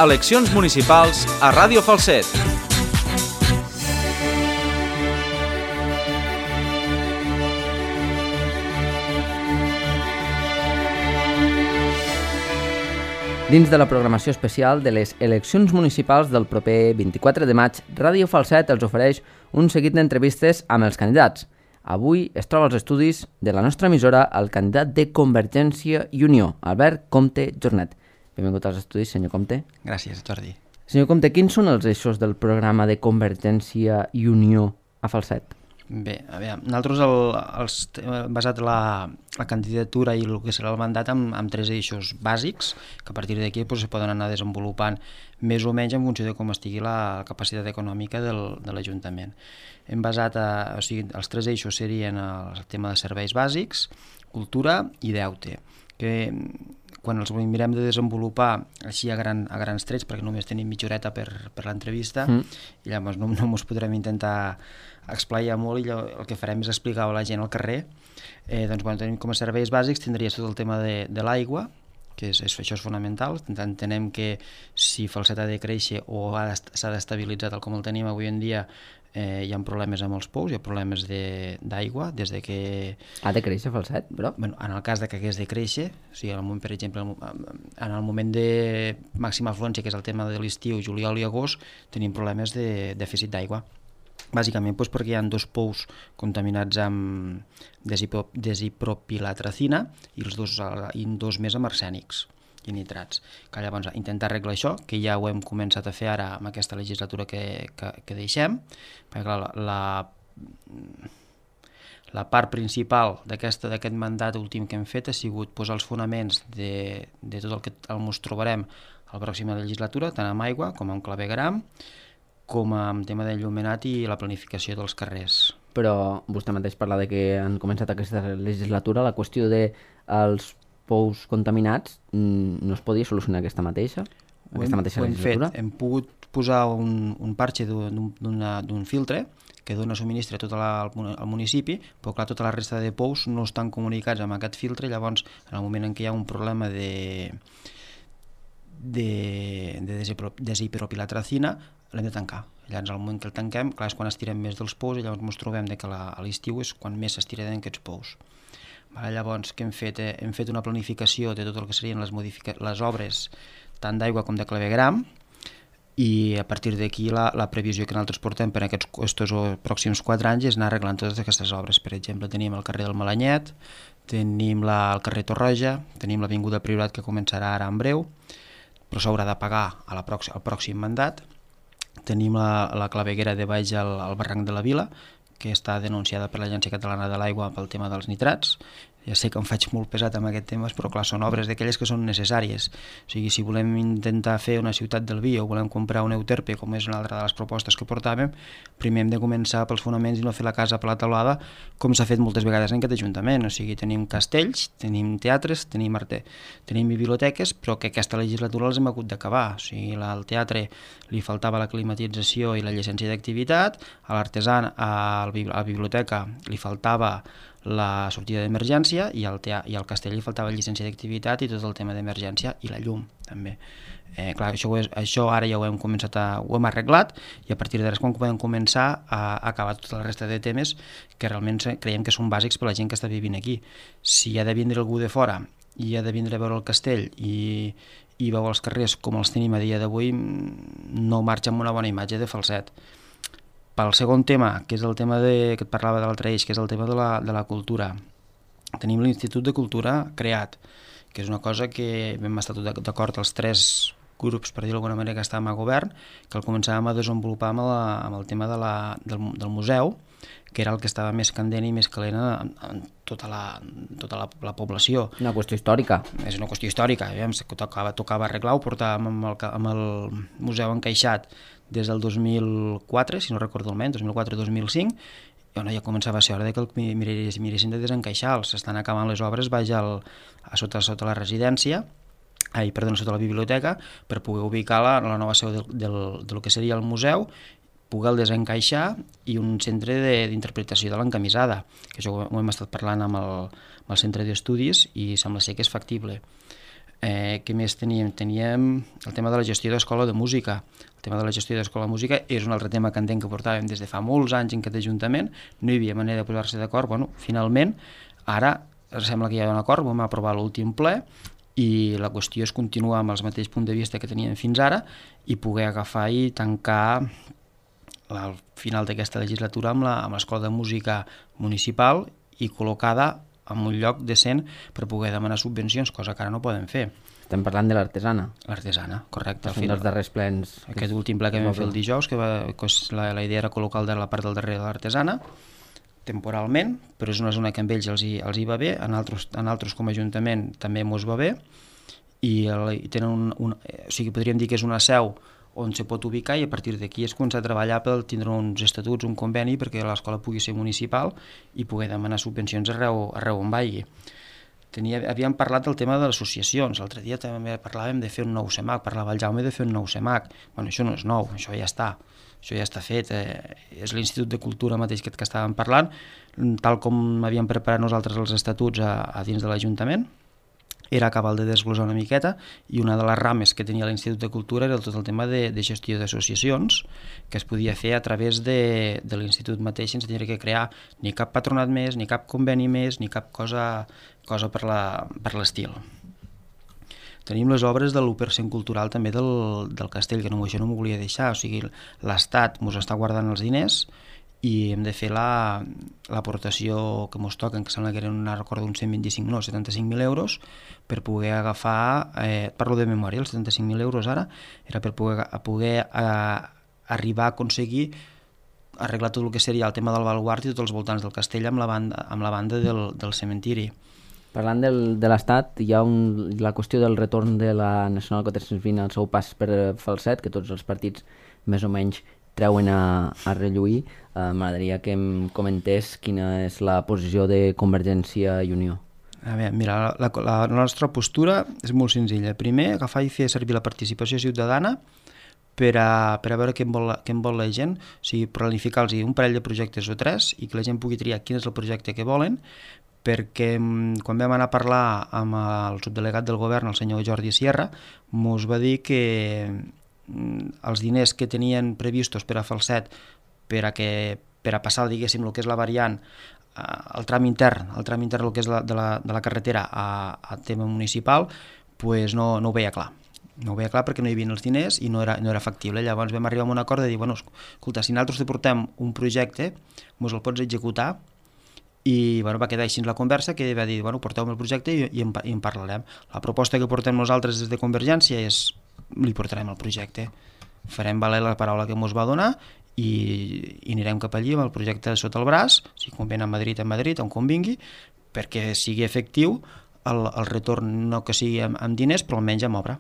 eleccions municipals a Ràdio Falset. Dins de la programació especial de les eleccions municipals del proper 24 de maig, Ràdio Falset els ofereix un seguit d'entrevistes amb els candidats. Avui es troba als estudis de la nostra emissora el candidat de Convergència i Unió, Albert Comte Jornet. Benvingut als estudis, senyor Comte. Gràcies, Jordi. Senyor Comte, quins són els eixos del programa de Convergència i Unió a Falset? Bé, a veure, nosaltres hem basat la candidatura i el que serà el mandat amb tres eixos bàsics, que a partir d'aquí se poden anar desenvolupant més o menys en funció de com estigui la capacitat econòmica de l'Ajuntament. Hem basat, els tres eixos serien el tema de serveis bàsics, cultura i deute, que quan els mirem de desenvolupar així a grans trets, perquè només tenim mitja horeta per l'entrevista, i llavors no ens podrem intentar explaiar molt, i el que farem és explicar a la gent al carrer. Doncs, tenim com a serveis bàsics, tindries tot el tema de l'aigua, que això és fonamental. Entenem que si Falset ha de créixer o s'ha d'estabilitzar tal com el tenim avui en dia, hi ha problemes amb els pous, hi ha problemes d'aigua, des de que... Ha de créixer Falset, però? Bueno, en el cas de que hagués de créixer, o sigui, per exemple, en el moment de màxima afluència, que és el tema de l'estiu, juliol i agost, tenim problemes de dèficit d'aigua. Bàsicament perquè hi ha dos pous contaminats amb desipropilatracina i dos més amb arsènics i nitrats. Que llavors intentar arreglar això, que ja ho hem començat a fer ara amb aquesta legislatura que deixem, perquè clar, la part principal d'aquest mandat últim que hem fet ha sigut posar els fonaments de tot el que ens trobarem a la pròxima legislatura, tant amb aigua com amb clavegueram, com amb tema d'enllumenat i la planificació dels carrers. Però vostè mateix parla de que han començat aquesta legislatura, la qüestió dels pous contaminats no es podia solucionar aquesta mateixa legislatura? Fet. Hem pogut posar un parxe d'un filtre que dona subministre a tot el municipi, però clar, tota la resta de pous no estan comunicats amb aquest filtre, llavors en el moment en què hi ha un problema de desipropilatracina, l'hem de tancar. Llavors, al moment que el tanquem, clar, és quan estirem més dels pous i llavors ens trobem que a l'estiu és quan més s'estiren aquests pous. Llavors, què hem fet? Hem fet una planificació de tot el que serien les obres tant d'aigua com de clavegueram, i a partir d'aquí la previsió que nosaltres portem per aquests pròxims 4 anys és anar arreglant totes aquestes obres. Per exemple, tenim el carrer del Malanyet, tenim el carrer Torroja, tenim l'avinguda Priorat, que començarà ara en breu, però s'haurà de pagar al pròxim mandat. Tenim la claveguera de baix al barranc de la Vila, que està denunciada per l'Agència Catalana de l'Aigua pel tema dels nitrats. Ja sé que em faig molt pesat amb aquests temes, però clar, són obres d'aquelles que són necessàries. O sigui, si volem intentar fer una ciutat del vi o volem comprar un Euterpe, com és una altra de les propostes que portàvem, primer hem de començar pels fonaments i no fer la casa per la teulada, com s'ha fet moltes vegades en aquest Ajuntament. O sigui, tenim castells, tenim teatres, tenim biblioteques, però que aquesta legislatura les hem hagut d'acabar. O sigui, al teatre li faltava la climatització i la llicència d'activitat, a l'artesà, a la biblioteca li faltava la sortida d'emergència, i al castell li faltava llicència d'activitat i tot el tema d'emergència i la llum també. Clar, això ara ja ho hem arreglat, i a partir d'ara és quan podem començar a acabar tota la resta de temes que realment creiem que són bàsics per la gent que està vivint aquí. Si ha de vindre algú de fora i ha de vindre a veure el castell i veu els carrers com els tenim a dia d'avui, no marxa amb una bona imatge de Falset. Pel segon tema, que és el tema que et parlava de l'altre eix, que és el tema de la cultura, tenim l'Institut de Cultura creat, que és una cosa que vam estar d'acord els 3 grups, per dir-ho d'alguna manera, que estàvem a govern, que el començàvem a desenvolupar amb el tema del museu, que era el que estava més candent i més calent en tota la població. Una qüestió històrica. És una qüestió històrica, tocava arreglar, ho portàvem amb el museu encaixat des del 2004, si no recordo malament, 2004-2005, i ja començava a ser hora que el miressin de desencaixar. S'estan acabant les obres baix sota la residència, sota la biblioteca, per poder ubicar la nova seu del que seria el museu, poder el desencaixar, i un centre d'interpretació de l'encamisada, que això ho hem estat parlant amb el centre d'estudis i sembla ser que és factible. Què més teníem? Teníem el tema de la gestió d'escola de música. El tema de la gestió d'escola de música és un altre tema que entenc que portàvem des de fa molts anys en aquest Ajuntament, no hi havia manera de posar-se d'acord. Bueno, finalment, ara sembla que hi ha un acord, vam aprovar l'últim ple i la qüestió és continuar amb els mateixos punts de vista que teníem fins ara i poder agafar i tancar al final d'aquesta legislatura amb l'escola de música municipal i col·locada en un lloc decent per poder demanar subvencions, cosa que ara no poden fer. Estem parlant de l'artesana. L'artesana, correcte. Un dels darrers plens. Aquest últim ple que vam fer el dijous, que la idea era col·locar la part del darrere de l'artesana, temporalment, però és una zona que amb ells els hi va bé, en altres com a Ajuntament també mos va bé, i tenen o sigui, podríem dir que és una seu on se pot ubicar i a partir d'aquí es comença a treballar per tindre uns estatuts, un conveni perquè l'escola pugui ser municipal i poder demanar subvencions arreu on vagi. Havíem parlat del tema de les associacions, l'altre dia també parlàvem de fer un nou CEMAC, parlava el Jaume de fer un nou CEMAC. Bueno, això no és nou, això ja està fet, és l'Institut de Cultura mateix que estàvem parlant, tal com havíem preparat nosaltres els estatuts a dins de l'Ajuntament, era acabar de desglosar una miqueta i una de les rames que tenia l'Institut de Cultura era tot el tema de gestió d'associacions que es podia fer a través de l'Institut mateix sense tenir que crear ni cap patronat més, ni cap conveni més, ni cap cosa per l'estil. Tenim les obres de l'1% cultural també del castell, que això no m'ho volia deixar, o sigui, l'Estat ens està guardant els diners i hem de fer l'aportació que ens toquen, que sembla que eren una recorda uns 75.000 euros, per poder agafar, parlo de memòria, els 75.000 euros ara, era per poder arribar a aconseguir arreglar tot el que seria el tema del baluart i tots els voltants del castell amb la banda del cementiri. Parlant de l'Estat, hi ha la qüestió del retorn de la Nacional 420 al seu pas per Falset, que tots els partits més o menys treuen a relluir. M'agradaria que em comentés quina és la posició de Convergència i Unió. A veure, mira, la nostra postura és molt senzilla. Primer, agafar i fer servir la participació ciutadana per a veure què en vol la gent, o sigui, planificar-los un parell de projectes o tres i que la gent pugui triar quin és el projecte que volen, perquè quan vam anar a parlar amb el subdelegat del govern, el senyor Jordi Sierra, ens va dir que els diners que tenien previstos per a Falset per a passar, diguéssim, el que és la variant, el tram intern, el que és de la carretera a tema municipal, pues no ho veia clar. No ho veia clar perquè no hi havia els diners i no era factible. Llavors vam arribar a un acord de dir, bueno, escolta, si nosaltres te portem un projecte, ens el pots executar, i va quedar així la conversa, que va dir, porteu-me el projecte i en parlarem. La proposta que portem nosaltres des de Convergència és, li portarem el projecte, farem valer la paraula que ens va donar i anirem cap allí amb el projecte sota el braç, si convé a Madrid, on convingui, perquè sigui efectiu el retorn, no que sigui amb diners, però almenys amb obra.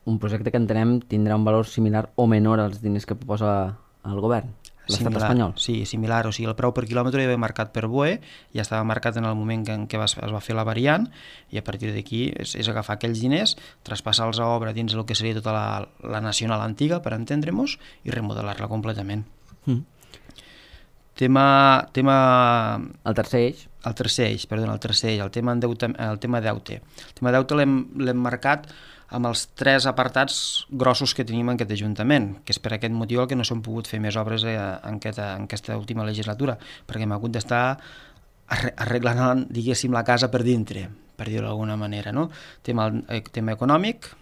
Un projecte que entenem tindrà un valor similar o menor als diners que proposa el govern, l'estat espanyol. Sí, similar, o sigui, el preu per quilòmetre ja va marcat per BOE, ja estava marcat en el moment en què es va fer la variant, i a partir d'aquí és agafar aquells diners, traspassar-los a obra dins el que seria tota la nacional antiga, per entendre-nos, i remodelar-la completament. Tema... El tercer eix, el tema deute. El tema deute l'hem marcat amb els tres apartats grossos que tenim en aquest Ajuntament, que és per aquest motiu que no s'han pogut fer més obres en aquesta última legislatura, perquè hem hagut d'estar arreglant, diguéssim, la casa per dintre, per dir-ho d'alguna manera, no? Tema econòmic,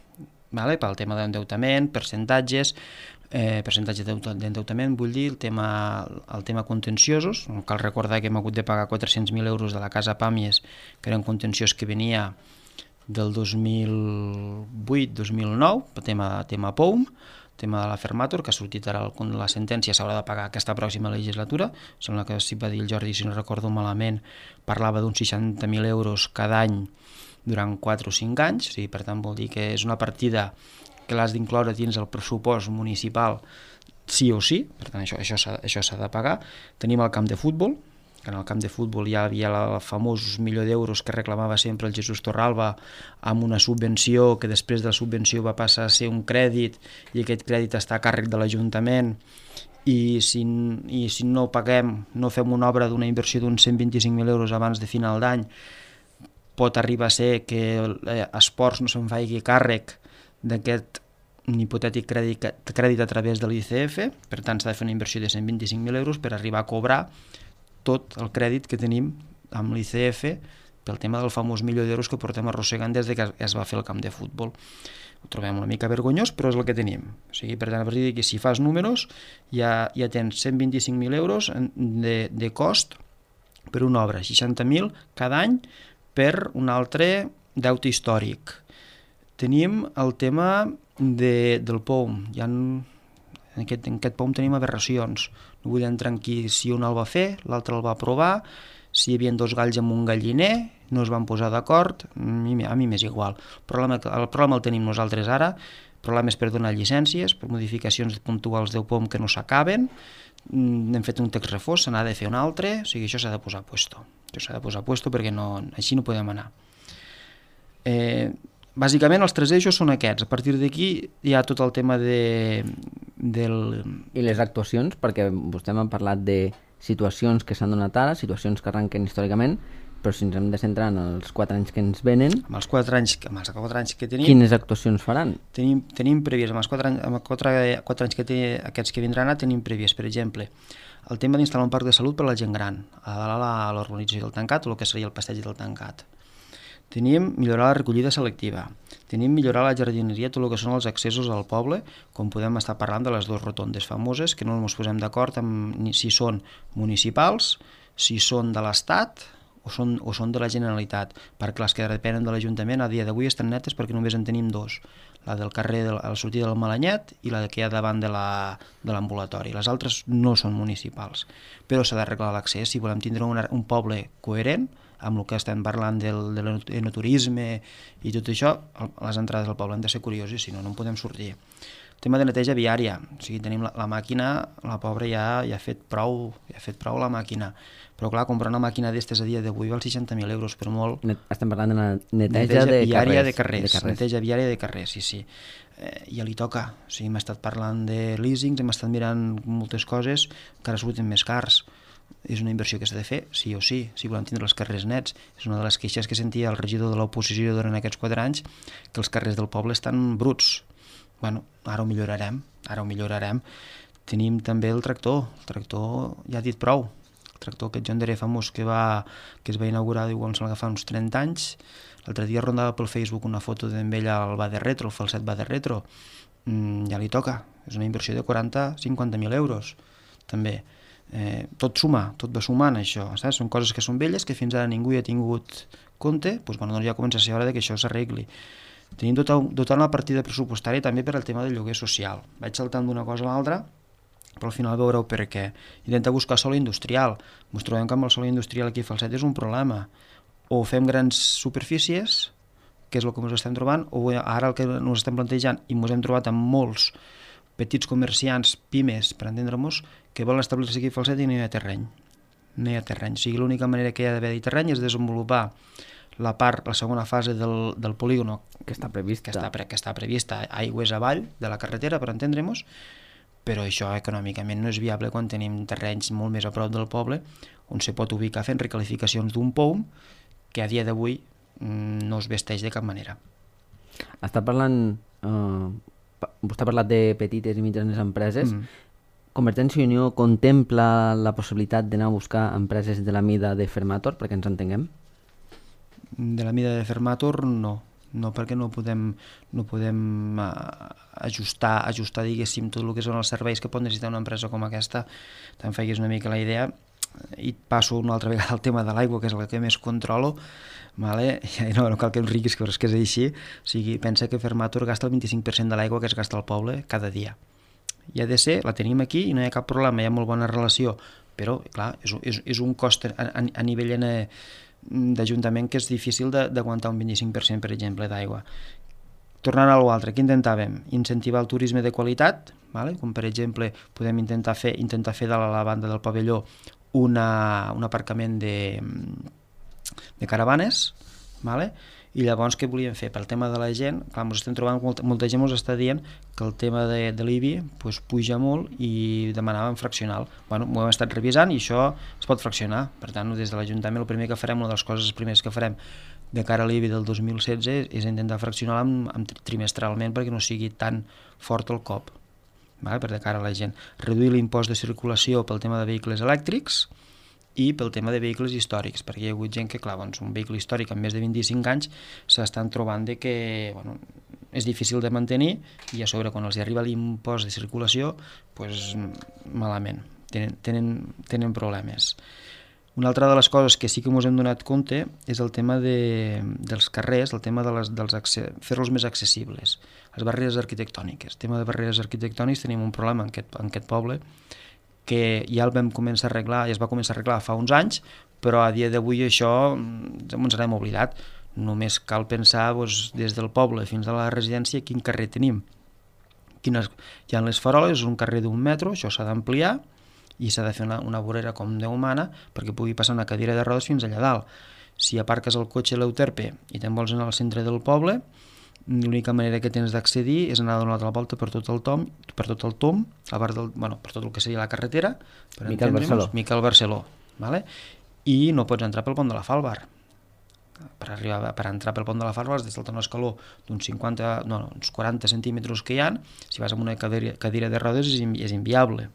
pel tema d'endeutament, percentatges d'endeutament, vull dir, el tema contenciosos. Cal recordar que hem hagut de pagar 400.000 euros de la casa Pàmies, que era un contenciós que venia del 2008-2009, tema POUM, tema de la Fermator, que ha sortit ara la sentència, s'haurà de pagar aquesta pròxima legislatura. Sembla que si va dir el Jordi, si no recordo malament, parlava d'uns 60.000 euros cada any durant 4 o 5 anys, sí, per tant vol dir que és una partida que l'has d'incloure dins el pressupost municipal sí o sí, per tant això s'ha de pagar. Tenim el camp de futbol, que en el camp de futbol ja havia el famós $1.000.000 que reclamava sempre el Jesús Torralba, amb una subvenció que després de la subvenció va passar a ser un crèdit i aquest crèdit està a càrrec de l'Ajuntament i si no paguem, no fem una obra d'una inversió d'uns 125.000 euros abans de final d'any, pot arribar a ser que Esports no se'n faci càrrec d'aquest hipotètic crèdit a través de l'ICF, per tant s'ha de fer una inversió de 125.000 euros per arribar a cobrar tot el crèdit que tenim amb l'ICF pel tema del famós milió d'euros que portem arrossegant des que es va fer el camp de futbol. Ho trobem una mica vergonyós, però és el que tenim. O sigui, per tant, a partir d'aquí, si fas números, ja tens 125.000 euros de cost per una obra, 60.000 cada any per un altre deute històric. Tenim el tema del POUM. En aquest POUM tenim aberracions. No vull entrar en qui si un el va fer, l'altre el va aprovar, si hi havia 2 galls amb un galliner, no es van posar d'acord, a mi m'és igual. El problema el tenim nosaltres ara, el problema és per donar llicències, per modificacions puntuals del POM que no s'acaben, hem fet un text refós, se n'ha de fer un altre, o sigui, això s'ha de posar a puesto. Això s'ha de posar a puesto perquè així no podem anar. Bàsicament els 3 eixos són aquests. A partir d'aquí hi ha tot el tema I les actuacions, perquè vostè m'ha parlat de situacions que s'han donat ara, situacions que arrenquen històricament, però si ens hem de centrar en els 4 anys que ens venen... Amb els 4 anys que tenim... Quines actuacions faran? Tenim previst, amb els 4 anys aquests que vindran, tenim previst, per exemple, el tema d'instal·lar un parc de salut per a la gent gran, a l'urbanització del Tancat, o el que seria el passeig del Tancat. Tenim millorar la recollida selectiva, tenim millorar la jardineria, tot el que són els accessos al poble, com podem estar parlant de les 2 rotondes famoses, que no ens posem d'acord amb si són municipals, si són de l'Estat o són de la Generalitat, perquè les que depenen de l'Ajuntament a dia d'avui estan netes perquè només en tenim 2, la del carrer a la sortida del Malanyet i la que hi ha davant de l'ambulatori. Les altres no són municipals, però s'ha d'arreglar l'accés si volem tindre un poble coherent amb el que estem parlant del enoturisme i tot això. Les entrades del poble han de ser curioses, si no, no en podem sortir. El tema de neteja viària, o sigui, tenim la màquina, la pobra ja ha fet prou la màquina, però clar, comprar una màquina d'estes a dia d'avui val 60.000 euros per molt. Estem parlant de la neteja viària de carrers. Neteja viària de carrers, sí. Ja li toca, o sigui, hem estat parlant de leasings, hem estat mirant moltes coses, encara surten més cars. És una inversió que s'ha de fer, sí o sí, si volem tindre els carrers nets. És una de les queixes que sentia el regidor de l'oposició durant aquests 4 anys, que els carrers del poble estan bruts. Bueno, ara ho millorarem. Tenim també el tractor ja ha dit prou. El tractor aquest John Deere famós que es va inaugurar, diu, em sembla que fa uns 30 anys. L'altre dia rondava pel Facebook una foto d'en ell al Bade Retro, el falset Bade Retro. Ja li toca, és una inversió de 40-50.000 euros, també. Tot va sumant això, saps? Són coses que són velles que fins ara ningú hi ha tingut compte, doncs ja comença a ser hora que això s'arregli. Tenim dotant la partida pressupostària també per al tema del lloguer social. Vaig saltant d'una cosa a l'altra, però al final veureu per què. Intentar buscar sòl industrial. Ens trobem que amb el sòl industrial aquí a Falset és un problema. O fem grans superfícies, que és el que ens estem trobant, o ara el que ens estem plantejant, i ens hem trobat amb molts petits comerciants, pimes, per entendre-nos, que volen establir-se aquí a Falset i no hi ha terreny. O sigui, l'única manera que hi ha d'haver terreny és desenvolupar la segona fase del polígono que està prevista aigües avall de la carretera, per entendre-nos, però això econòmicament no és viable quan tenim terrenys molt més a prop del poble on se pot ubicar fent recalificacions d'un POUM que a dia d'avui no es vesteix de cap manera. Vostè ha parlat de petites i mitjanes empreses. Convergència i Unió contempla la possibilitat d'anar a buscar empreses de la mida de Fermator, perquè ens entenguem? De la mida de Fermator no, perquè no podem ajustar diguéssim tot el que són els serveis que pot necessitar una empresa com aquesta. Te'n faiguis una mica la idea, i passo una altra vegada al tema de l'aigua, que és el que més controlo, vale? No cal que em riguis, però és que és així. O sigui, pensa que Fermator gasta el 25% de l'aigua que es gasta al poble cada dia. I ha de ser, la tenim aquí i no hi ha cap problema, hi ha molt bona relació, però clar, és un cost a nivell d'Ajuntament que és difícil d'aguantar un 25%, per exemple, d'aigua. Tornant a l'altre, què intentàvem? Incentivar el turisme de qualitat, vale? Com per exemple podem intentar fer de la banda del pavelló un aparcament de caravanes, vale? I llavors què volíem fer? Pel tema de la gent, clar, ens estem trobant, molta gent ens està dient que el tema de l'IBI puja molt i demanàvem fraccional. Bueno, ho hem estat revisant i això es pot fraccionar. Per tant, des de l'Ajuntament el primer que farem, una de les coses primeres que farem de cara a l'IBI del 2016 és intentar fraccionar-la trimestralment perquè no sigui tan fort el cop, vale? Per de cara a la gent. Reduir l'impost de circulació pel tema de vehicles elèctrics i pel tema de vehicles històrics, perquè hi ha hagut gent que, clar, doncs, un vehicle històric amb més de 25 anys s'estan trobant de que és difícil de mantenir i a sobre quan els arriba l'impost de circulació, doncs malament, tenen problemes. Una altra de les coses que sí que ens hem donat compte és el tema dels carrers, el tema fer-los més accessibles, les barreres arquitectòniques. El tema de barreres arquitectòniques tenim un problema en aquest poble que ja el vam començar a arreglar, ja es va començar a arreglar fa uns anys, però a dia d'avui això ens n'hem oblidat. Només cal pensar des del poble fins a la residència quin carrer tenim. Hi ha les faroles, un carrer d'1 metro, això s'ha d'ampliar, i s'ha de fer una vorera com Déu mana perquè pugui passar una cadira de rodes fins allà dalt. Si aparques el cotxe a l'Euterpe i te'n vols anar al centre del poble, l'única manera que tens d'accedir és anar a donar la volta per tot el tom, per tot el que seria la carretera, per Miquel Barceló, vale? I no pots entrar pel pont de la Falbar. Per entrar pel pont de la Falbar has de saltar un escaló d'uns 40 centímetres que hi ha. Si vas amb una cadira de rodes és inviable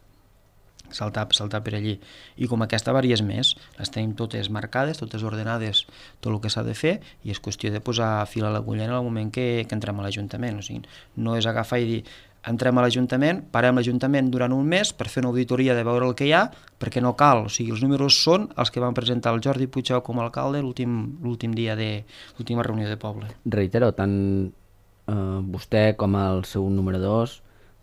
saltar per allí. I com aquesta vàries més, les tenim totes marcades, totes ordenades, tot el que s'ha de fer, i és qüestió de posar fil a l'agulla en el moment que entrem a l'Ajuntament. O sigui, no és agafar i dir entrem a l'Ajuntament, parem l'Ajuntament durant un mes per fer una auditoria de veure el que hi ha, perquè no cal. O sigui, els números són els que van presentar el Jordi Puigdemont com a alcalde l'últim dia de l'última reunió de poble. Reitero, tant vostè com el seu número 2,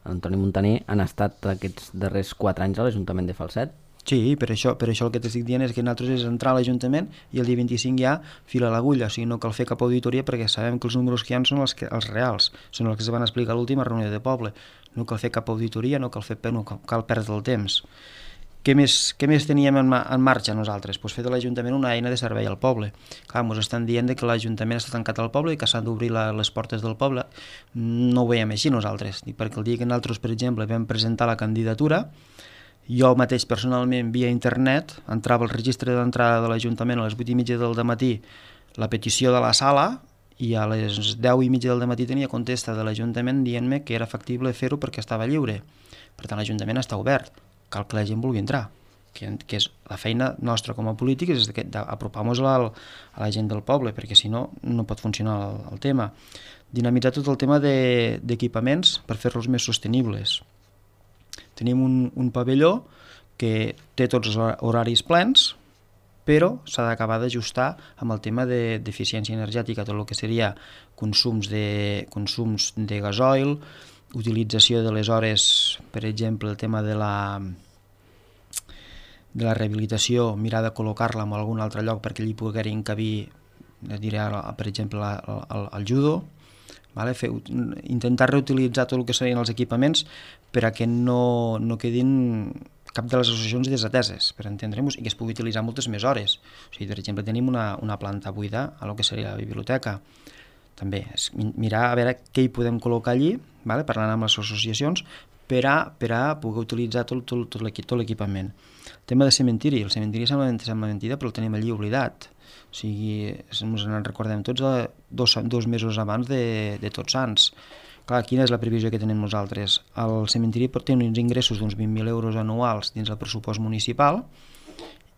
Antoni Montaner, han estat aquests darrers 4 anys a l'Ajuntament de Falset? Sí, per això el que t'estic dient és que nosaltres és entrar a l'Ajuntament i el dia 25 ja fila l'agulla, o sigui, no cal fer cap auditoria perquè sabem que els números que hi ha són els reals, són els que es van explicar a l'última reunió de poble. No cal fer cap auditoria, no cal perdre el temps. Què més teníem en marxa nosaltres? Pues fer de l'Ajuntament una eina de servei al poble. Clar, ens estan dient que l'Ajuntament està tancat al poble i que s'han d'obrir les portes del poble. No ho veiem així nosaltres, perquè el dia que nosaltres, per exemple, vam presentar la candidatura, jo mateix personalment via internet entrava al registre d'entrada de l'Ajuntament a les 8:30 del matí la petició de la sala i a les 10:30 del matí tenia contesta de l'Ajuntament dient-me que era factible fer-ho perquè estava lliure. Per tant, l'Ajuntament està obert. Cal que la gent vulgui entrar, que és la feina nostra com a polítics, és d'apropar-nos a la gent del poble, perquè si no, no pot funcionar el tema. Dinamitzar tot el tema d'equipaments per fer-los més sostenibles. Tenim un pavelló que té tots els horaris plens, però s'ha d'acabar d'ajustar amb el tema d'eficiència energètica, tot el que seria consums de gasoil, utilització de les hores, per exemple, el tema de la rehabilitació, mirar de col·locar-la en algun altre lloc perquè allí pugui encabir, per exemple, el judo, vale? Intentar reutilitzar tot el que serien els equipaments per a que no quedin cap de les associacions desateses, per entendre-nos, i que es pugui utilitzar moltes més hores. O sigui, per exemple, tenim una planta buida a lo que seria la biblioteca. També és mirar a veure què hi podem col·locar allí, vale? Parlant amb les associacions, per a poder utilitzar tot l'equipament. El tema de cementiri. El cementiri sembla mentida, però el tenim allí oblidat. O sigui, ens en recordem tots 2 mesos abans de Tots Sants. Clar, quina és la previsió que tenim nosaltres? El cementiri té uns ingressos d'uns 20.000 euros anuals dins el pressupost municipal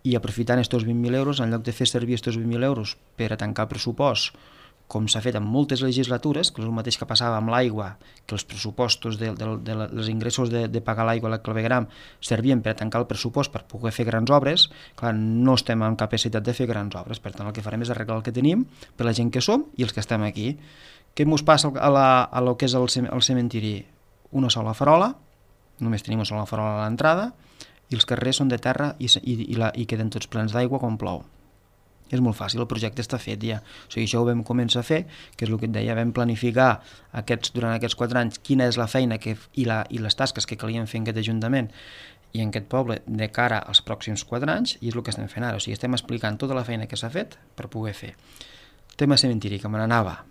i aprofitant aquests 20.000 euros, en lloc de fer servir aquests 20.000 euros per a tancar el pressupost, com s'ha fet en moltes legislatures, que és el mateix que passava amb l'aigua, que els pressupostos dels ingressos de pagar l'aigua a la clavegram servien per a tancar el pressupost per poder fer grans obres. Clar, no estem en capacitat de fer grans obres, per tant el que farem és arreglar el que tenim per la gent que som i els que estem aquí. Què ens passa a lo que és el cementiri? Una sola farola, només tenim una sola farola a l'entrada, i els carrers són de terra i queden tots plens d'aigua quan plou. És molt fàcil, el projecte està fet ja. O sigui, això ho vam començar a fer, que és el que et deia, vam planificar durant aquests 4 anys quina és la feina i les tasques que calien fer en aquest Ajuntament i en aquest poble de cara als pròxims 4 anys, i és el que estem fent ara. O sigui, estem explicant tota la feina que s'ha fet per poder fer. Tema cementiri, que me n'anava.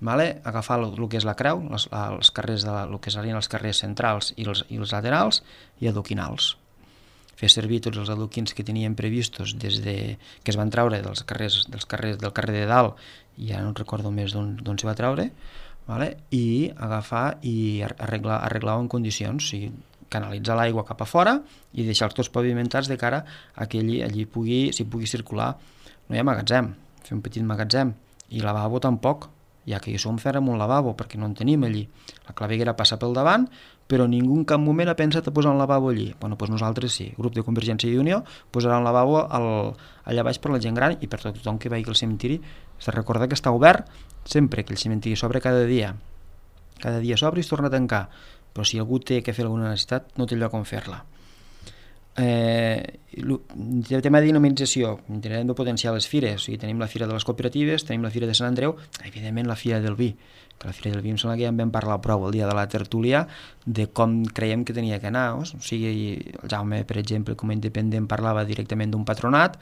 Vale? Agafar el que és la creu, els carrers el que serien els carrers centrals i els laterals, i adoquinals. fer servir tots els adoquins que teníem previstos que es van treure del carrer de dalt, i ja no recordo més d'on se va treure, vale? I agafar i arreglar en condicions, o sigui, canalitzar l'aigua cap a fora i deixar els tots pavimentats de cara a que allí pugui circular. No hi ha magatzem, fer un petit magatzem, i lavabo tampoc, ja que hi som, fèrem un lavabo, perquè no en tenim allí. La claveguera passa pel davant, però ningú en cap moment ha pensat a posar un lavabo allí. Bueno, doncs nosaltres sí, el grup de Convergència i Unió posarà un lavabo allà baix per la gent gran i per tothom que vagi al cementiri. S'ha de recordar que està obert sempre, que el cementiri s'obre cada dia s'obre i es torna a tancar, però si algú té que fer alguna necessitat no té lloc on fer-la. El tema de dinamització, intentarem de potenciar les fires, o sigui, tenim la Fira de les Cooperatives, tenim la Fira de Sant Andreu, evidentment la Fira del Vi, que la Fira del Vi em sembla que ja en vam parlar prou el dia de la tertúlia de com creiem que tenia que anar, o sigui, el Jaume, per exemple, com a independent parlava directament d'un patronat,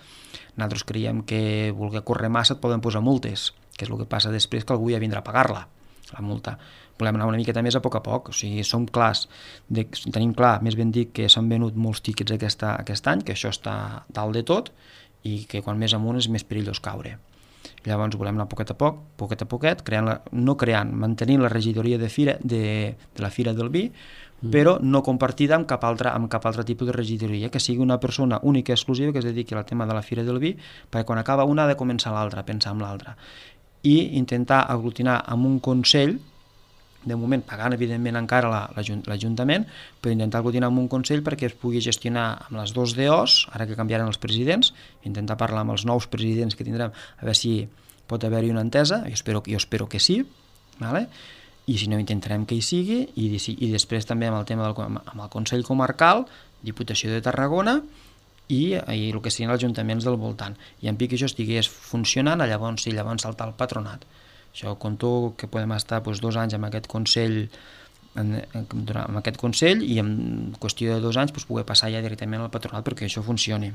nosaltres creiem que voler córrer massa et poden posar multes, que és el que passa després que algú ja vindrà a pagar-la, la multa. Volem anar una miqueta més a poc, o sigui, som clars, tenim clar, més ben dit, que s'han venut molts tíquets aquest any, que això està dalt de tot, i que quan més amunt és més perillós caure. Llavors volem anar poquet a poquet, mantenint la regidoria de la Fira del Vi, però no compartida amb cap altre tipus de regidoria, que sigui una persona única i exclusiva que es dediqui al tema de la Fira del Vi, perquè quan acaba una ha de començar l'altra, pensar en l'altra. I intentar aglutinar amb un consell, de moment pagant evidentment encara l'Ajuntament, però intentar aglutinar amb un consell perquè es pugui gestionar amb les dos DOs, ara que canviaran els presidents, intentar parlar amb els nous presidents que tindrem, a veure si pot haver-hi una entesa, jo espero que sí, vale? I si no intentarem que hi sigui, i després també amb el tema amb el Consell Comarcal, Diputació de Tarragona, i el que serien els ajuntaments del voltant. I en pic que això estigués funcionant, llavors saltar el patronat. Això conto que podem estar 2 anys amb aquest Consell, i en qüestió de 2 anys poder passar ja directament al patronat perquè això funcioni.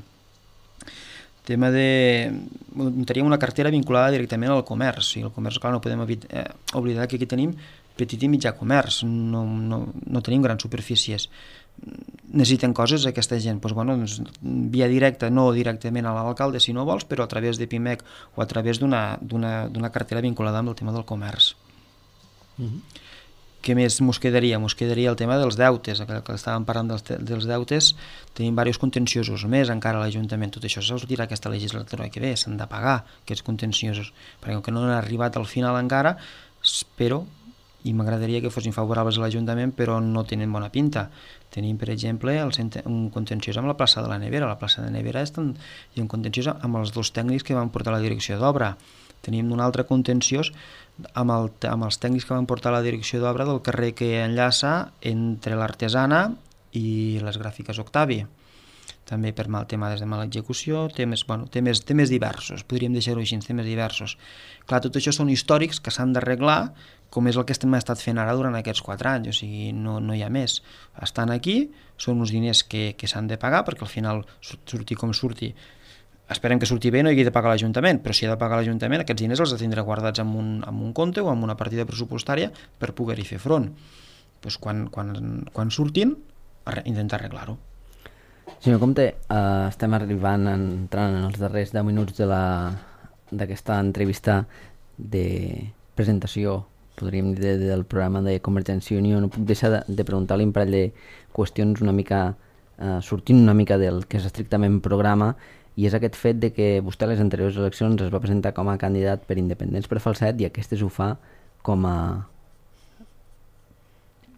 Tema teníem una cartera vinculada directament al comerç, i el comerç, clar, no podem oblidar que aquí tenim petit i mitjà comerç, no tenim grans superfícies. Necessiten coses aquesta gent, via directa, no directament a l'alcalde si no vols, però a través de PIMEC o a través d'una cartera vinculada amb el tema del comerç. Què més mos quedaria? Mos quedaria el tema dels deutes, que estàvem parlant dels deutes, tenim diversos contenciosos més encara a l'Ajuntament, tot això sortirà aquesta legislatura que ve, s'han de pagar aquests contenciosos, perquè com que no han arribat al final encara, espero, i m'agradaria que fossin favorables a l'Ajuntament, però no tenen bona pinta. Tenim, per exemple, un contenciós amb la plaça de la Nevera. La plaça de Nevera hi ha un contenciós amb els 2 tècnics que van portar la direcció d'obra. Tenim un altre contenciós amb els tècnics que van portar la direcció d'obra del carrer que enllaça entre l'Artesana i les Gràfiques Octavi. També per mal tema de mala execució, temes diversos, podríem deixar-ho així, temes diversos. Clar, tot això són històrics que s'han d'arreglar, com és el que hem estat fent ara durant aquests 4 anys, o sigui, no hi ha més. Estan aquí, són uns diners que s'han de pagar, perquè al final, surti com surti, esperem que surti bé, no hi hagi de pagar l'Ajuntament, però si ha de pagar l'Ajuntament, aquests diners els ha de tindre guardats en un compte o en una partida pressupostària per poder-hi fer front. Doncs quan surtin, intentar arreglar-ho. Senyor Comte, estem entrant en els darrers 10 minuts d'aquesta entrevista de presentació, podríem dir, del programa de Convergència i Unió. No puc deixar de preguntar-li un parell de qüestions sortint una mica del que és estrictament programa, i és aquest fet de que vostè a les anteriors eleccions es va presentar com a candidat per Independents per Falset i aquestes ho fa com a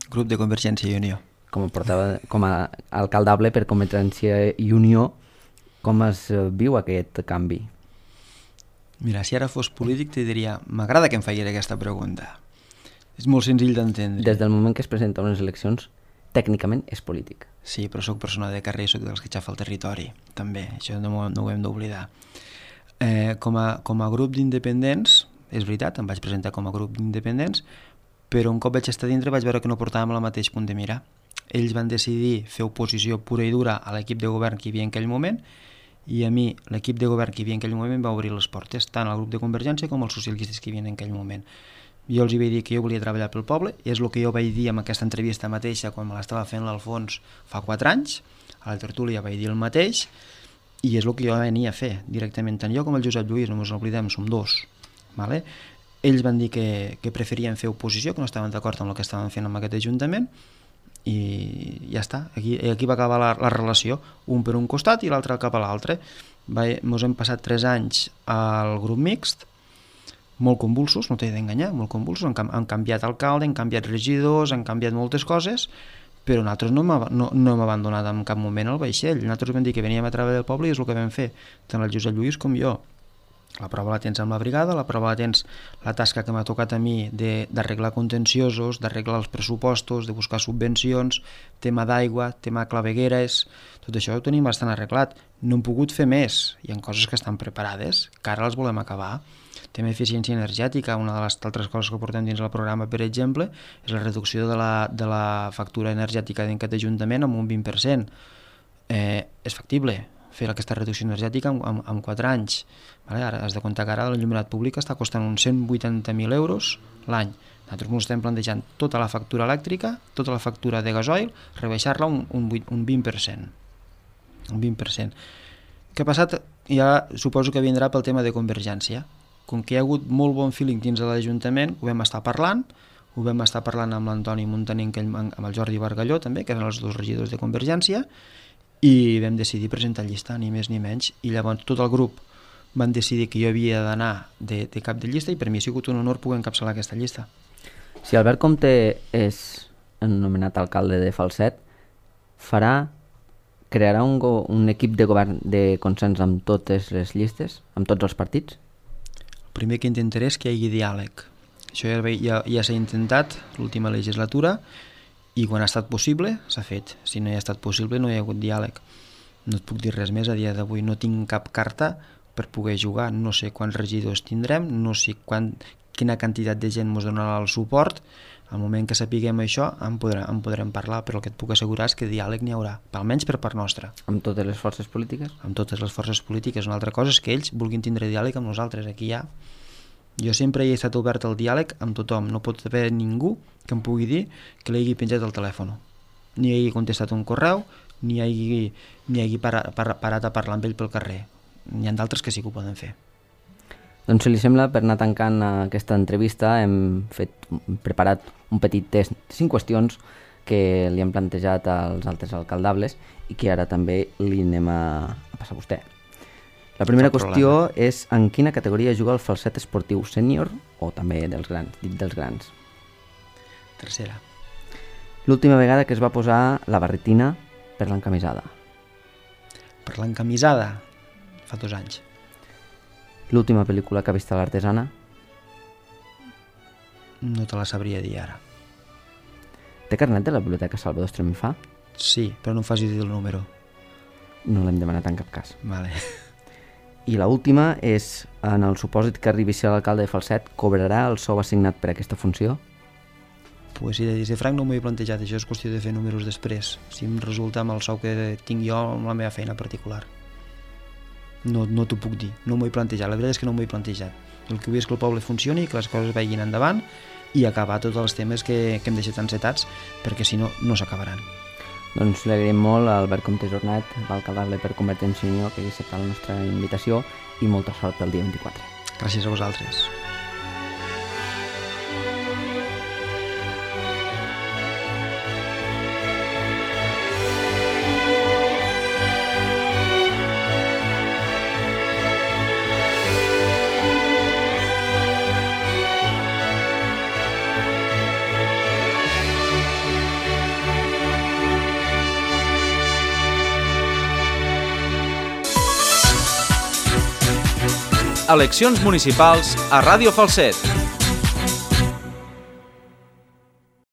grup de Convergència i Unió. Com a alcaldable per Convergència i Unió. Com es viu aquest canvi? Mira, si ara fos polític te diria, m'agrada que em facis aquesta pregunta. És molt senzill d'entendre. Des del moment que es presenta unes eleccions, tècnicament és polític. Sí, però sóc persona de carrer i sóc dels que xafa el territori, també, això no ho hem d'oblidar. Com a grup d'independents, és veritat, em vaig presentar com a grup d'independents, però un cop vaig estar dintre vaig veure que no portàvem el mateix punt de mira. Ells van decidir fer oposició pura i dura a l'equip de govern que hi havia en aquell moment, i a mi l'equip de govern que hi havia en aquell moment va obrir les portes, tant al grup de Convergència com als socialistes que hi havia en aquell moment. Jo els hi vaig dir que jo volia treballar pel poble, és el que jo vaig dir en aquesta entrevista mateixa quan me l'estava fent l'Alfons fa 4 anys. A la tertúlia vaig dir el mateix i és el que jo venia a fer directament, tant jo com el Josep Lluís, no ens oblidem, som dos, vale? Ells van dir que preferien fer oposició, que no estaven d'acord amb el que estaven fent amb aquest ajuntament i ja està, aquí va acabar la relació, un per un costat i l'altre cap a l'altre. Ens hem passat 3 anys al grup mixt, molt convulsos, no t'he d'enganyar, molt convulsos, han canviat alcalde, han canviat regidors, han canviat moltes coses, però nosaltres no hem abandonat en cap moment el vaixell. Nosaltres vam dir que veníem a treballar del poble i és el que vam fer, tant el Josep Lluís com jo. La prova la tens amb la brigada, la prova la tens la tasca que m'ha tocat a mi d'arreglar contenciosos, d'arreglar els pressupostos, de buscar subvencions, tema d'aigua, tema clavegueres, tot això ho tenim bastant arreglat. No hem pogut fer més, hi ha coses que estan preparades, que ara les volem acabar. Tema eficiència energètica, una de les altres coses que portem dins el programa, per exemple, és la reducció de la factura energètica d'aquest ajuntament amb un 20%. És factible fer aquesta reducció energètica en 4 anys. Vale? Ara has de comptar que ara l'enllumenat públic està costant uns 180.000 euros l'any. Nosaltres ens estem plantejant tota la factura elèctrica, tota la factura de gasoil, rebaixar-la un 20%. Un 20%. Què ha passat? Ja suposo que vindrà pel tema de Convergència. Com que hi ha hagut molt bon feeling dins de l'Ajuntament, ho vam estar parlant amb l'Antoni Montaner, amb el Jordi Bargalló també, que eren els 2 regidors de Convergència, i vam decidir presentar llista, ni més ni menys, i llavors tot el grup van decidir que jo havia d'anar de cap de llista i per mi ha sigut un honor poder encapçalar aquesta llista. Si Albert Comte és nomenat alcalde de Falset, crearà un equip de govern de consens amb totes les llistes, amb tots els partits? El primer que intentaré és que hi hagi diàleg. Això ja s'ha intentat l'última legislatura i quan ha estat possible s'ha fet. Si no hi ha estat possible no hi ha hagut diàleg. No et puc dir res més a dia d'avui, no tinc cap carta per poder jugar, no sé quants regidors tindrem, no sé quina quantitat de gent ens donarà el suport. Al moment que sapiguem això en podrem parlar, però el que et puc assegurar és que diàleg n'hi haurà, almenys per part nostra. Amb totes les forces polítiques? Amb totes les forces polítiques. Una altra cosa és que ells vulguin tindre diàleg amb nosaltres. Aquí ja jo sempre he estat obert al diàleg amb tothom. No pot haver ningú que em pugui dir que li hagi penjat el telèfon, ni hagi contestat un correu, ni hagi parat a parlar amb ell pel carrer. N'hi ha d'altres que sí que ho poden fer. Doncs si li sembla, per anar tancant aquesta entrevista hem preparat un petit test de 5 qüestions que li hem plantejat als altres alcaldables i que ara també li anem a passar a vostè. La primera qüestió és en quina categoria juga el Falset esportiu sènior o també dels grans, dit dels grans. Tercera. L'última vegada que es va posar la barretina per l'encamisada. Per l'encamisada? Fa 2 anys. L'última pel·lícula que ha vist a l'Artesana? No te la sabria dir ara. Té carnet de la biblioteca Salvador Estremifà? Sí, però no em facis dir el número. No l'hem demanat en cap cas. Vale. I l'última és, en el supòsit que arribi a ser l'alcalde de Falset, cobrarà el sou assignat per aquesta funció? Pues si de dir franc no m'ho he plantejat, això és qüestió de fer números després, si em resulta amb el sou que tinc jo amb la meva feina particular. No t'ho puc dir, no m'ho he plantejat, la veritat és que no m'ho he plantejat. El que vull és que el poble funcioni, que les coses vagin endavant i acabar tots els temes que hem deixat encetats, perquè si no, no s'acabaran. Doncs li agraïm molt a Albert Comte Jornet, l'alcaldable per Convergència i Unió, que hagi acceptat la nostra invitació i molta sort pel dia 24. Gràcies a vosaltres. Eleccions municipals a Ràdio Falset.